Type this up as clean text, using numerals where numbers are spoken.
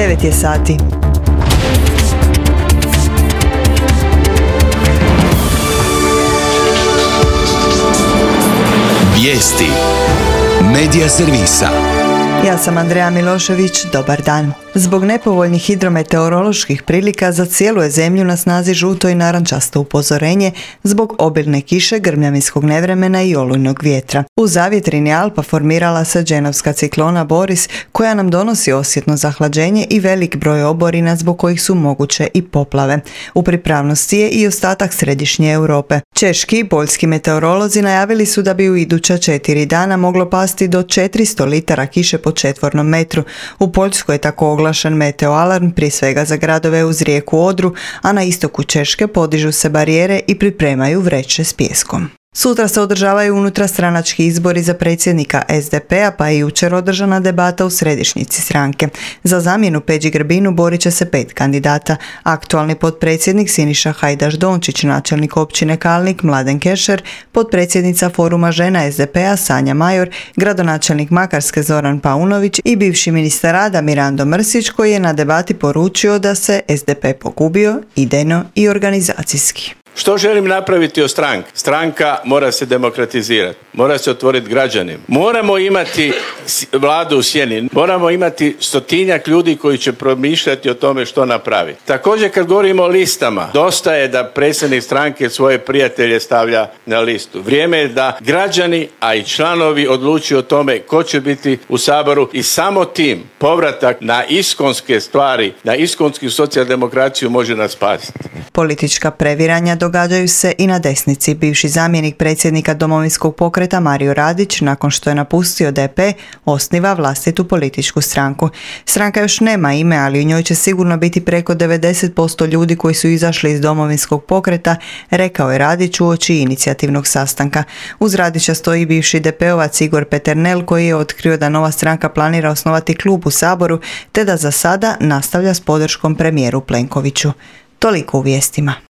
9 je sati. Vijesti Medija servisa. Ja sam Andreja Milošević, dobar dan. Zbog nepovoljnih hidrometeoroloških prilika za cijelu je zemlju na snazi žuto i narančasto upozorenje zbog obilne kiše, grmljavinskog nevremena i olujnog vjetra. U zavjetrini Alpa formirala se dženovska ciklona Boris, koja nam donosi osjetno zahlađenje i velik broj oborina zbog kojih su moguće i poplave. U pripravnosti je i ostatak središnje Europe. Češki i poljski meteorolozi najavili su da bi u iduća 4 dana moglo pasti do 400 litara kiše po četvornom metru. U Poljskoj je tako oglašen meteoalarm, prije svega za gradove uz rijeku Odru, a na istoku Češke podižu se barijere i pripremaju vreće s pijeskom. Sutra se održavaju unutarstranački izbori za predsjednika SDP-a, pa je jučer održana debata u središnjici stranke. Za zamjenu Peđi Grbinu borit će se 5 kandidata. Aktualni potpredsjednik Siniša Hajdaš Dončić, načelnik općine Kalnik Mladen Kešer, potpredsjednica Foruma žena SDP-a Sanja Major, gradonačelnik Makarske Zoran Paunović i bivši ministar rada Mirando Mrsić, koji je na debati poručio da se SDP pogubio idejno i organizacijski. Što želim napraviti od stranke? Stranka mora se demokratizirati, mora se otvoriti građanima. Moramo imati vladu u sjeni, moramo imati 100-tinjak ljudi koji će promišljati o tome što napraviti. Također kad govorimo o listama, dosta je da predsjednik stranke svoje prijatelje stavlja na listu. Vrijeme je da građani, a i članovi odlučuju o tome ko će biti u Saboru i samo tim povratak na iskonske stvari, na iskonsku socijaldemokraciju može nas spasiti. Politička previranja događaju se i na desnici. Bivši zamjenik predsjednika Domovinskog pokreta Mario Radić, nakon što je napustio DP, osniva vlastitu političku stranku. Stranka još nema ime, ali u njoj će sigurno biti preko 90% ljudi koji su izašli iz Domovinskog pokreta, rekao je Radić uoči inicijativnog sastanka. Uz Radića stoji bivši DP-ovac Igor Peternel, koji je otkrio da nova stranka planira osnovati klub u Saboru, te da za sada nastavlja s podrškom premijeru Plenkoviću. Toliko u vijestima.